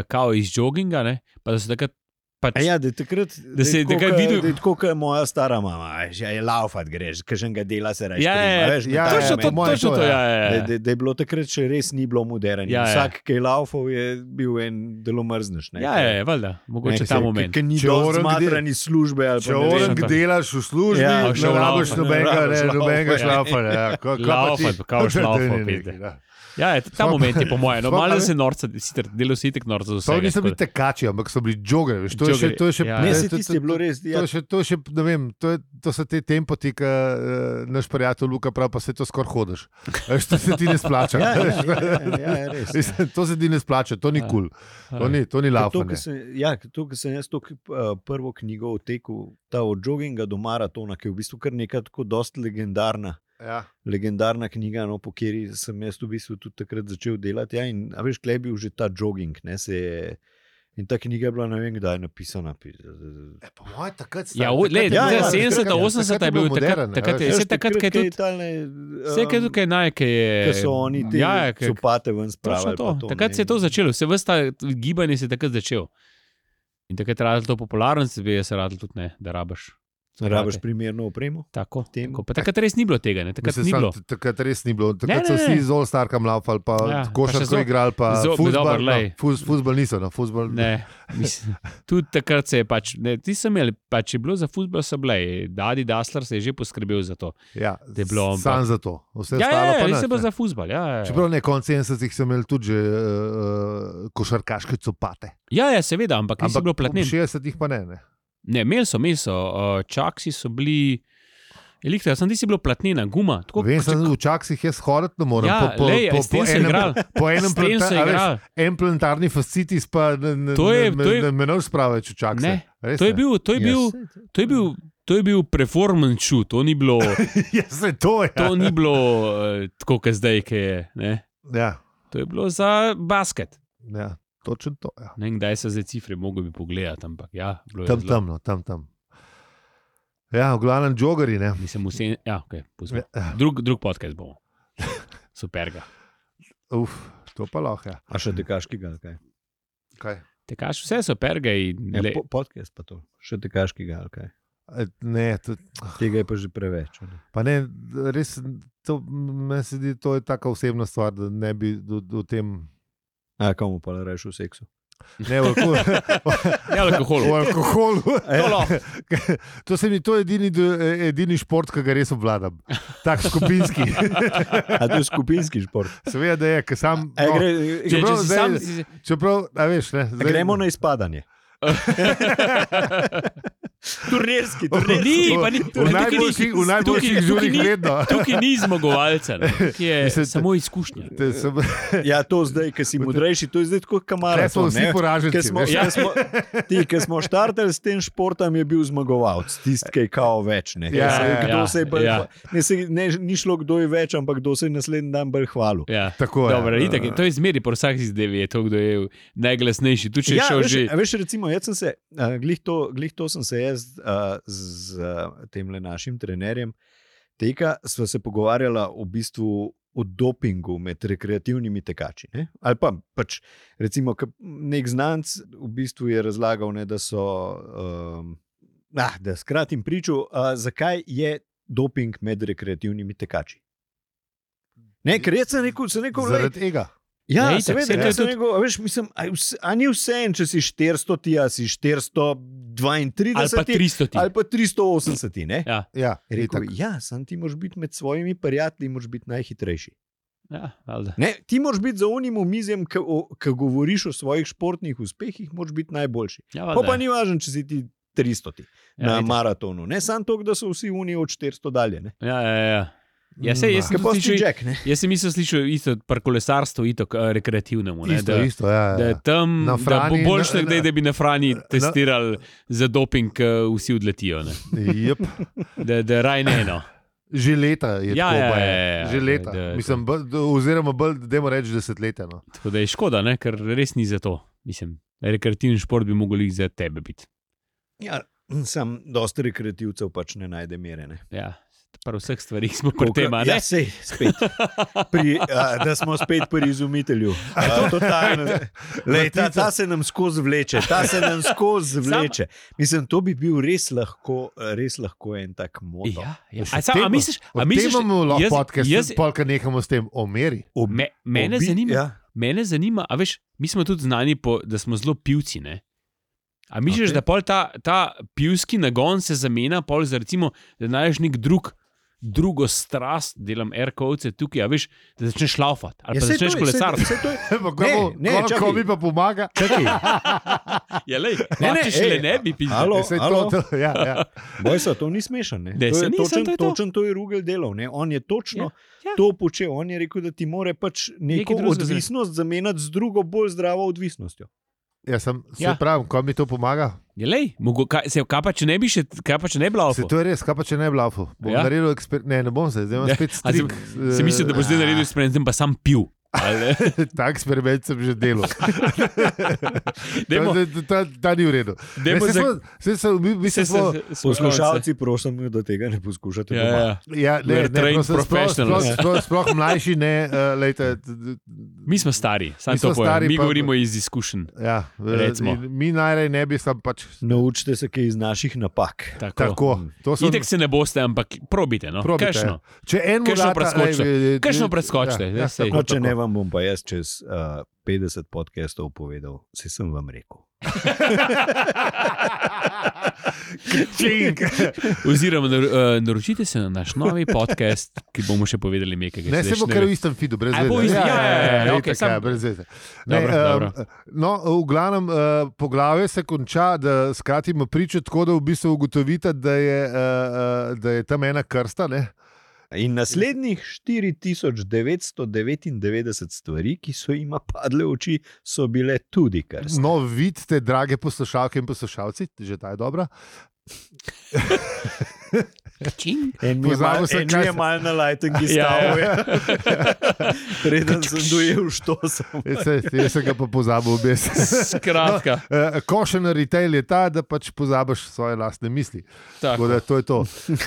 C: kao iz jogginga, ne? Pa da so takrat pač,
A: A ja, da je takrat,
C: Da se je
A: tako,
C: takrat
A: ke-
C: videl-
A: da je tako, kot moja stara mama, veš, ja, je laufat greš, kaženega dela se reče.
C: Ja, ja, ja,
A: veš, na
B: ja,
A: ta
C: točno
A: moment.
C: to,
B: po mojem
C: točno
B: to,
C: to,
B: ja.
C: ja, ja,
A: Da,
C: ja.
A: da, da je bilo takrat še res ni bilo moderno.
C: Ja, ja.
A: Vsak, ki je laufal, je bil en delo mrzneš. Ne,
C: Ja, ja, ja, valjda, mogoče ta moment.
A: Ki ni
B: Če
A: dovolj
B: orang
A: zmatran iz službe. ali pa
B: Če
A: ne vem.
B: orang
C: to.
B: delaš v službi,
A: Ja,
B: ja,
C: šel
B: ne rabiš
C: laufat,
B: nobenega,
A: ne
B: ne,
A: rabiš
B: nobenega
A: laufat, ja.
B: šlafanja. Ja. Ko- ko pa ti-
C: Laufat, kao
B: To je
C: šlaufal,
B: nekaj,
C: pizde.
B: ja.
C: Ja, je, ta moment je po mojem, no,
B: Sploh,
C: malo
B: a
C: se norca, sicer delo si tek norca za vse.
B: To niso bili tekači, ampak so bili jogeri. To je še, to je še,
C: Ja.
A: Ne,
B: ne,
A: se
B: to-
A: tisti je bilo res.
B: To
A: Ja,
B: je še, to je še, ne vem, to, je, to so te tempoti, ki uh, naš prijatelj Luka pravi, pa se to skoraj hodiš. Veš, to se ti ne splača.
A: ja, ja,
B: Veš,
A: ja, ja, ja, je res. Ja.
B: mislim, to se ti ne splača, to ni
C: Ja.
B: kul, cool. to ni, to ni
A: Ker to,
B: laufanje.
A: ko sem, ja, to, ko sem jaz to uh, prvo knjigo o teku, ta od jogginga do maratona, ki je v bistvu kar neka tako dost legendarna.
B: Ja.
A: Legendarna knjiga, no, po kateri sem jaz v bistvu tudi takrat začel delati. Ja, in, a veš, klej bil že ta jogging. Ne, se je, in ta knjiga je bila ne vem, kdaj napisana.
B: E, po mojem, takrat
C: Ja, o, lej,
A: Ja, ja,
C: sedemdeseta, osemdeseta je bil takrat, takrat je,
A: Veš,
C: vse takrat, kaj je tudi,
A: tale,
C: vse kaj je tukaj naj, kaj je.
A: Ki so oni te
C: ja, ja, kaj-
A: copate ven
C: točno
A: spravili.
C: to.
A: pa to,
C: Takrat
A: ne.
C: se je to začelo, vse vrsta gibanje se je takrat začel. In takrat je radil to popularno, se bi jaz radil tudi ne, da rabaš.
A: Rabiš primerno opremo.
C: Tako,
A: Tem.
C: tako. Pa takrat res ni bilo tega, ne? Takrat
B: Mislim,
C: ni
B: sam,
C: bilo.
B: takrat res ni bilo. Takrat
C: Ne,
B: so
C: ne,
B: vsi
C: ne.
B: z All-Starkom laufali, pa
C: Ja,
B: ja,
C: pa še
B: košarko
C: zo-
B: igrali, pa
C: zo-
B: fuzbal.
C: dobro,
B: No,
C: lej.
B: fuz, fuzbal niso, no, fuzbal.
C: Ne, mislim, tudi takrat se je pač, ne, ti sem imel, pač je bilo za futbol so bile, Dadi Dasler se je že poskrbel za to.
B: Ja,
C: Da je bilo,
B: sam za to. Vse
C: Ja,
B: ostalo
C: ja,
B: pa
C: res
B: nič,
C: je bilo
B: ne.
C: za futbol, ja, ja.
B: Čeprav ne, konec sedemdesetih so imeli tudi že uh, košarkaške copate.
C: Ja, ja, seveda, ampak niso bilo
B: v
C: platnen.
B: šestdesetih pa ne. ne.
C: Ne, imeli so, imeli so, uh, čaksi so bili, elektra, sem ti si bilo platnena, guma. Tako,
B: Vem,
C: če-
B: sem v čaksih jaz hoditi ne morem.
C: Ja,
B: po, po,
C: lej,
B: po,
C: s tem
B: po
C: so
B: enem,
C: igrali.
B: po enem
C: S tem so
B: planta- a veš,
C: igrali.
B: en plantarni fascitis pa ne, ne,
C: To je-
B: ne,
C: to je-
B: ne, ne menoj sprave, če čakse.
C: Ne,
B: Res
C: To je
B: ne.
C: bil, to je bil,
A: Ja, saj,
C: to je bil, to je bil performance shoot, to ni bilo,
B: Ja, se to je.
C: to ni bilo uh, tako, kot zdaj, ki je. Ne?
B: Ja,
C: To je bilo za basket.
B: ja, točno to. Ja.
C: Ne vem, kdaj so zdaj cifre, mogo bi pogledati, ampak ja, bilo je
B: Tam,
C: zelo-
B: tam, no, tam, tam. Ja, v glavnem jogeri, ne.
C: Mislim, vse, ja, okay, pustimo.
B: Ja,
C: drug, drug podcast bomo. Super ga.
B: uf, to pa lahko, ja.
A: A še tekaškega, ali kaj?
B: Kaj?
C: Tekaš vse super ga in
A: Ja,
C: le,
A: po, podcast pa to. Še tekaškega, ali kaj?
B: E, Ne, to,
A: Tega je pa že preveč. a ne.
B: pa ne, res, to, meni se zdi, to je taka osebna stvar, da ne bi do, do tem.
A: A komu pa rečeš v seksu?
B: Ne, v alkoholu.
C: ne alkohol.
B: V alkoholu.
C: To lahko.
B: To, se mi, to je edini, edini šport, ki ga res obvladam. Tak skupinski.
A: A to je skupinski šport.
B: Seveda, da je, ker sam.
A: A,
B: No,
A: gre,
C: Če, če
B: Čeprav
C: si
B: zdaj-
C: sam, si,
B: čeprav, a veš, ne.
A: a gremo na izpadanje. Turnirski,
C: Ni, pa ni-
B: v
C: tukaj ni-
B: najboljših, v najboljših
C: tukaj- tukaj
B: žurih
C: ni-
B: vedno.
C: tukaj ni zmagovalca, ne. Tukaj je
B: Mislim,
C: samo izkušnja.
B: Te sem-
A: Ja, to zdaj, ki si modrejši, to je zdaj tako
B: Tukaj smo
A: kamaraton.
B: vsi poraženci.
A: Ki smo,
B: veš.
A: ja. smo, ti, ki smo štartali s tem športom, je bil zmagovalec, tisti, ki je kao več. Ne,
B: Ja,
A: Se je-
B: ja,
A: kdo
C: ja,
A: se je bolj,
C: ja.
A: ne, se, ne, ni šlo, kdo je več, ampak kdo se je naslednji dan bolj hvalil.
C: Ja.
B: Tako je.
C: Dobro, itak, je- to je zmeri, po vsaki zadevi je to, kdo je najglasnejši. Tu če je
A: Ja,
C: šel
A: veš,
C: že.
A: a veš, recimo, jaz sem se, uh, glih, to, glih to sem se jaz uh, z uh, tem našim trenerjem teka, sva se pogovarjala v bistvu o dopingu med rekreativnimi tekači. Ne? Ali pa pač, recimo, ke nek znanc v bistvu je razlagal, ne, da so, um, ah, da skratim pričo, uh, zakaj je doping med rekreativnimi tekači. Ne, ker jaz sem rekel, sem rekel, lej,
B: Zaradi tega.
A: ja,
C: Ja, itak,
A: seveda,
C: saj to je
A: jaz sem
C: tudi-
A: rekel, a veš, mislim, a, je vse, a ni vse en, če si štiristo, ti a si štiristo dvaintrideset
C: Ali pa tristo ti.
A: ali pa tristo osemdeset. Ne?
C: Ja,
B: Ja,
A: Je Rekel,
B: itak.
A: ja, sam ti moraš biti med svojimi prijatelji, moraš biti najhitrejši.
C: ja, valjda.
A: Ne, ti moraš biti za unim omizjem, ki govoriš o svojih športnih uspehih, moraš biti najboljši.
C: Ja,
A: Pa,
C: valjda.
A: pa ni važno, če si ti tristo
C: Ja,
A: na
C: itak.
A: maratonu. Ne samo to, da so vsi uni od štiristo dalje. Ne?
C: Ja, ja, ja. Ja, sej, jaz, sem
A: Kaj pa
C: tudi
A: si
C: slišal,
A: Jack, ne?
C: jaz sem mislil, slišal isto pri kolesarstvu, isto uh, rekreativnemu. Ne,
B: Isto,
C: da,
B: isto, ja,
C: da
B: ja.
C: je tam,
B: Na
C: da bo
B: Frani-
C: boljš
B: na-
C: nekdaj,
B: na-
C: da bi na Frani testirali za doping, uh, vsi odletijo. Ne.
B: Jep.
C: Da, da raj ne eno.
B: Že leta je
C: Ja,
B: tako.
C: ja,
B: pa je.
C: ja, ja,
B: Že
C: da-
B: leta.
C: da-
B: Mislim, bolj- oziroma, bolj, dajmo reči, desetletja. No.
C: Tako da je škoda, ne, ker res ni za to. Mislim, rekreativni šport bi mogel jih za tebe biti.
A: Ja, sam dosta rekreativcev pač ne najde mere. Ne?
C: Ja. Pri vseh stvarih smo pri tem, a ne?
A: Ja, sej, spet. Pri, a, da smo spet pri izumitelju. A, totalno. Lej, ta, ta se nam skozi vleče, ta se nam skozi vleče. Mislim, to bi bil res lahko, res lahko en tak moto.
C: Ja, ja.
B: Še
C: A, sam, a
B: temo-
C: misliš, a
B: O
C: misliš,
B: tem imamo lahko
C: jaz-
B: podcast,
C: jaz-
B: polka nehamo s tem o meri.
A: Ob-
C: me, mene,
A: obi-
C: zanima,
A: Ja.
C: mene zanima, a veš, mi smo tudi znani, po, da smo zelo pivci. Ne? A misliš,
A: Ok.
C: okay. da pol ta, ta pivski nagon se zamenja, pol za recimo, da najdeš nek drug, drugo strast, delam aircoats tukaj, a veš, da začneš laufati. Ali
A: Ja,
C: pa
A: saj
C: začneš
A: to je-
C: kolesariti.
A: saj- saj to je- Ne, ne,
B: Ko
A: čakaj.
B: mi pa pomaga.
A: Čakaj,
C: Ja, lej,
A: Ne, ne,
C: če še le
A: ej,
C: ne bi pisal.
A: halo?
B: Saj to, to, ja, ja.
A: Bojsa, to ni smešen. Ne?
C: Ne,
A: To
C: saj
A: je
C: ni,
A: točen,
C: saj to je to.
A: točen to je Rugel delal. Ne? On je točno
C: Ja, ja.
A: to počel. On je rekel, da ti mora pač neko
C: Nekaj drugega
A: odvisnost zamenjati z drugo, bolj zdravo odvisnostjo.
B: Ja, sem, se
C: Ja.
B: pravim, ko mi to pomaga.
C: Ja, lej, mogo, kaj, se, kaj pa če ne bi še, kaj pa če ne bi
B: Se
C: laufal?
B: to je res, kaj pa če ne bi laufal? Bom
C: Ja.
B: naredil eksperiment. Ne, ne bom se, zdaj imam
C: Ja.
B: spet
C: A si-
B: strik.
C: Si mislil, da boš zdaj naredil eksperiment, zdaj pa sam pil. Ali-
B: Ta eksperiment sem že delal.
C: Dajmo-
B: Ta- ta- Ta ta ni v redu.
C: Dajmo
B: Ne, saj
C: za-
B: smo- saj so- mi- mi
C: Se-
B: se smo-
C: se- se-
A: Poslušalci, prosim, da tega ne poskušate
C: Ja,
A: doma.
C: ja.
B: Ja,
C: We
B: ne,
C: are
B: ne,
C: trained
B: prosim, sploh,
C: professionals.
B: sploh, sploh, sploh mlajši ne, uh, lejte, t- t-
C: Mi smo stari, sam
B: Mi smo
C: to povem.
B: stari,
C: Mi
B: pa-
C: govorimo iz izkušenj.
B: ja,
C: Recimo.
B: in mi najraje ne bi sam pač
A: Naučite se kaj iz naših napak.
C: Tako.
B: tako. To so
C: Itek se ne boste, ampak probite. No.
B: probite.
C: Kajšno?
B: Če en
C: Kakšno
B: morata-
C: preskočite?
B: ej, ej,
C: Kakšno
B: ej,
C: preskočite?
B: Ja,
C: Ja,
B: ja,
C: sej.
B: tako,
A: No, če
B: tako.
A: ne vam bom pa jaz čez uh, petdeset podcastov povedal, se sem vam rekel.
B: Čink.
C: Oziroma, nar, uh, naročite se na naš novi podcast, ki bomo še povedali nekaj.
B: Ne, se bo kar v istem feedu, brez
C: A bo
B: veze.
C: isti- ja, ja, ja, ja, okej,
B: itak,
C: sam-
B: ja, brez veze. Ne,
C: Dobro,
B: em,
C: dobro.
B: No, v glavnem uh, poglavje se konča, da skratimo pričo, tako da v bistvu ugotovite, da je, uh, uh, da je tam ena krsta. Ne?
A: In naslednjih štiri tisoč devetsto devetindevetdeset stvari, ki so jima padle v oči, so bile tudi krst.
B: No, vidite, drage poslušalke in poslušalci, že ta je dobra.
C: Čing.
A: En mi je
B: Pozabil
A: mal-
B: sem,
A: en
B: kaj
A: mi je
B: se-
A: mal na lajtengi
C: Ja,
A: stavil.
C: ja.
A: Preden sem dojel, što sem.
B: Jaz se- Jaz sem ga pa pozabil obes.
C: Skratka,
B: Uh, Košen retail je ta, da pač pozabiš svoje lastne misli. Tako
C: tako.
B: da to je to.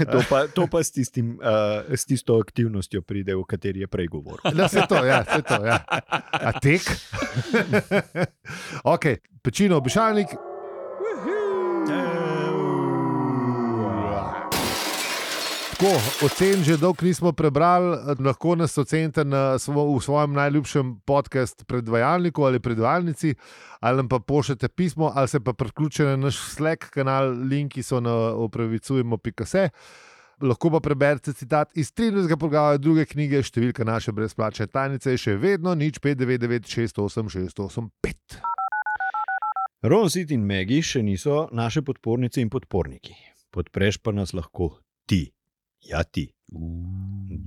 A: To pa, to pa s, tistim, uh, s tisto aktivnostjo pride, o kateri je prej govoril.
B: Da se to, ja, se to, ja. A tek? Ok, pečino, obešalnik. Tako, ocen že dolgo nismo prebrali, lahko nas ocenite na svo, v svojem najljubšem podkastu predvajalniku ali predvajalnici, ali nam pa pošljete pismo, ali se pa priključite na naš Slack kanal, linki so na opravicujemo pika se. Lahko pa preberete citat iz trinajstega poglavja druge knjige, številka naše brezplačne tajnice je še vedno nič pet devet devet šest osem šest osem pet.
A: Ron, Sid in Megi še niso naše podpornice in podporniki. Podpreš pa nas lahko ti. Ja, ti.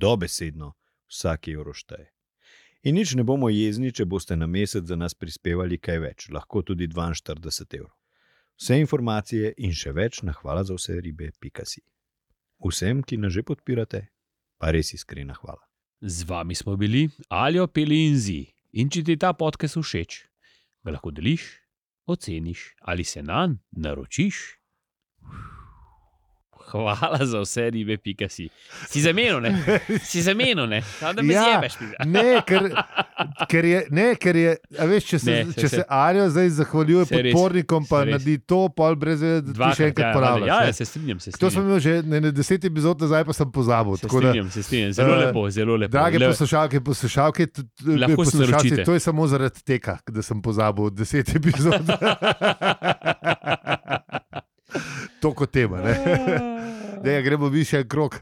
A: Dobesedno vsak evro šteje. In nič ne bomo jezni, če boste na mesec za nas prispevali kaj več, lahko tudi dvainštirideset evrov. Vse informacije in še več na hvala za vse ribe pika si. Vsem, ki nas že podpirate, pa res iskrena hvala.
C: Z vami smo bili Aljo, Peli in Zi. In če ti ta podcast všeč, ga lahko deliš, oceniš ali se nanj naročiš. Hvala za vse ribe, pika si. Si zamenil, ne? Si zamenil, ne? Samo da me
B: Ja.
C: zjebeš. pizda.
B: Ne, ker, ker je, ne, ker je, a veš, če se,
C: Ne,
B: ne,
C: saj
B: če
C: se-
B: se Arjo zdaj zahvaljuje
C: Saj res,
B: podpornikom, pa
C: saj res.
B: naredi to, pol brez veze, da ti
C: Dvakrat,
B: še enkrat
C: ja,
B: ponavljaš.
C: Ja,
B: ne.
C: ja, se strinjam, se
B: To sem
C: strinjam.
B: imel že ne, ne, deset epizod nazaj, pa sem pozabil.
C: Se
B: tako da,
C: strinjam, se strinjam. Zelo
B: eh,
C: lepo, zelo lepo.
B: Drage
C: Le-
B: poslušalke in poslušalke, t- t-
C: Lahko se
B: poslušalci,
C: naročite.
B: to je samo zaradi tega, da sem pozabil deset epizod. To kot tema. Ne? Ne, gremo mi še en krog.